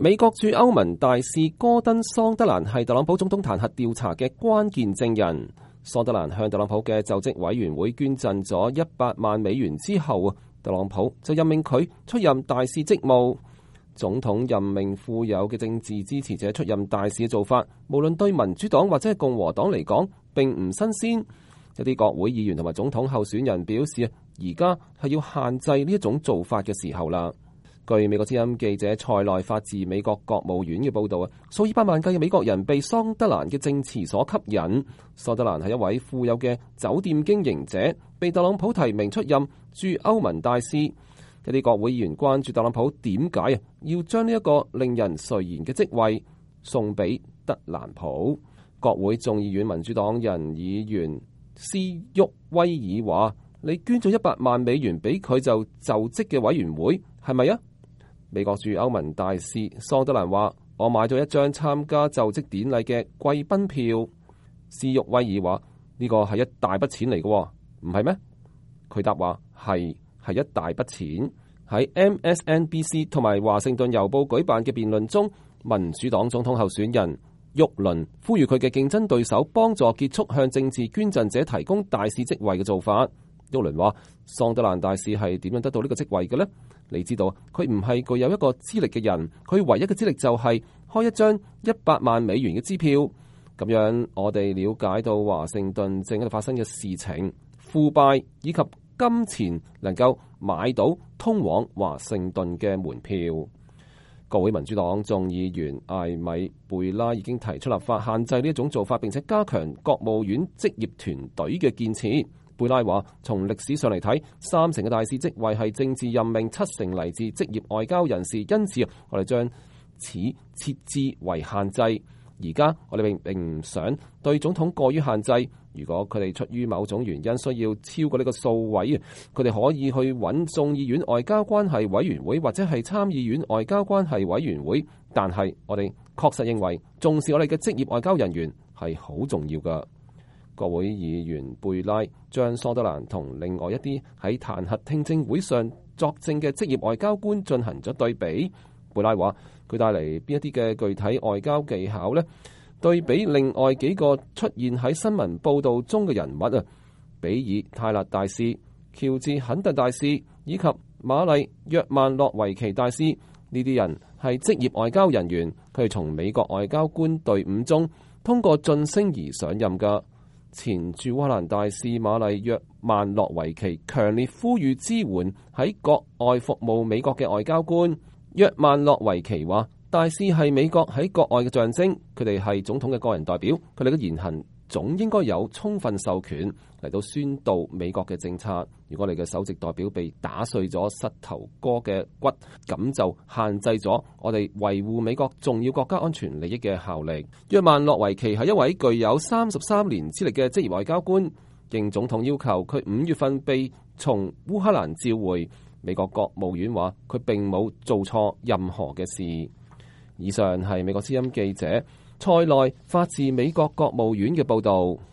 美國駐歐盟大使戈登·桑德蘭係特朗普總統彈劾調查嘅關鍵證人。桑德蘭向特朗普嘅就職委員會捐贈咗100萬美元之後，特朗普就任命佢出任大使職務。總統任命富有嘅政治支持者出任大使嘅做法，無論對民主黨或者係共和黨嚟講，並唔新鮮。一啲國會議員同埋總統候選人表示，而家係要限制呢一種做法嘅時候啦。據美國之音記者塞內發自美國國務院嘅報導，數以百萬計嘅美國人被桑德蘭嘅證詞所吸引。桑德蘭係一位富有嘅酒店經營者，被特朗普提名出任駐歐盟大使。一啲國會議員關注特朗普點解要將呢一個令人垂涎嘅職位送俾特蘭普。國會眾議院民主黨人議員斯沃威爾話：你捐咗100萬美元俾佢就職嘅委員會，係咪啊？美國駐歐盟大使桑德蘭話：我買咗一張參加就職典禮嘅貴賓票。斯沃威爾話：呢個係一大筆錢嚟嘅，唔係咩？佢答話係一大筆錢。喺 MSNBC 同埋華盛頓郵報舉辦嘅辯論中，民主黨總統候選人沃倫呼籲佢嘅競爭對手幫助結束向政治捐贈者提供大使職位嘅做法。沃倫話：桑德蘭大使係點樣得到呢個職位嘅呢？你知道佢唔係具有一個資歷嘅人，佢唯一嘅資歷就係開一張100萬美元嘅支票。咁樣我哋了解到華盛頓正喺度發生嘅事情，腐敗以及金錢能夠買到通往華盛頓嘅門票。國會民主黨眾議員艾米貝拉已經提出立法限制呢一種做法，並且加強國務院職業團隊嘅建設。貝拉話：從歷史上嚟睇，3成嘅大使職位係政治任命，7成嚟自職業外交人士，因此我哋將此設置為限制。而家我哋並唔想對總統過於限制。如果佢哋出於某種原因需要超過呢個數位，佢哋可以去揾眾議院外交關係委員會或者係參議院外交關係委員會。但係我哋確實認為重視我哋嘅職業外交人員係好重要㗎。國會議員貝拉將桑德蘭同另外一啲喺彈劾聽證會上作證嘅職業外交官進行咗對比。貝拉話：佢帶嚟邊一啲嘅具體外交技巧呢？對比另外幾個出現喺新聞報導中嘅人物啊，比爾泰勒大使、喬治肯特大使以及瑪麗約曼諾維奇大使，呢啲人係職業外交人員，佢係從美國外交官隊伍中通過晉升而上任㗎。前駐烏克蘭大使瑪麗約曼諾維奇強烈呼籲支援喺國外服務美國嘅外交官。約曼諾維奇話：大使係美國喺國外嘅象徵，佢哋係總統嘅個人代表，佢哋嘅言行總應該有充分授權嚟到宣導美國嘅政策。如果你嘅首席代表被打碎咗膝頭哥嘅骨，咁就限制咗我哋維護美國重要國家安全利益嘅效力。約曼諾維奇係一位具有33年資歷嘅職業外交官，應總統要求，佢5月份被從烏克蘭召回。美國國務院話佢並冇做錯任何嘅事。以上係美國之音記者塞內發自美國國務院嘅報導。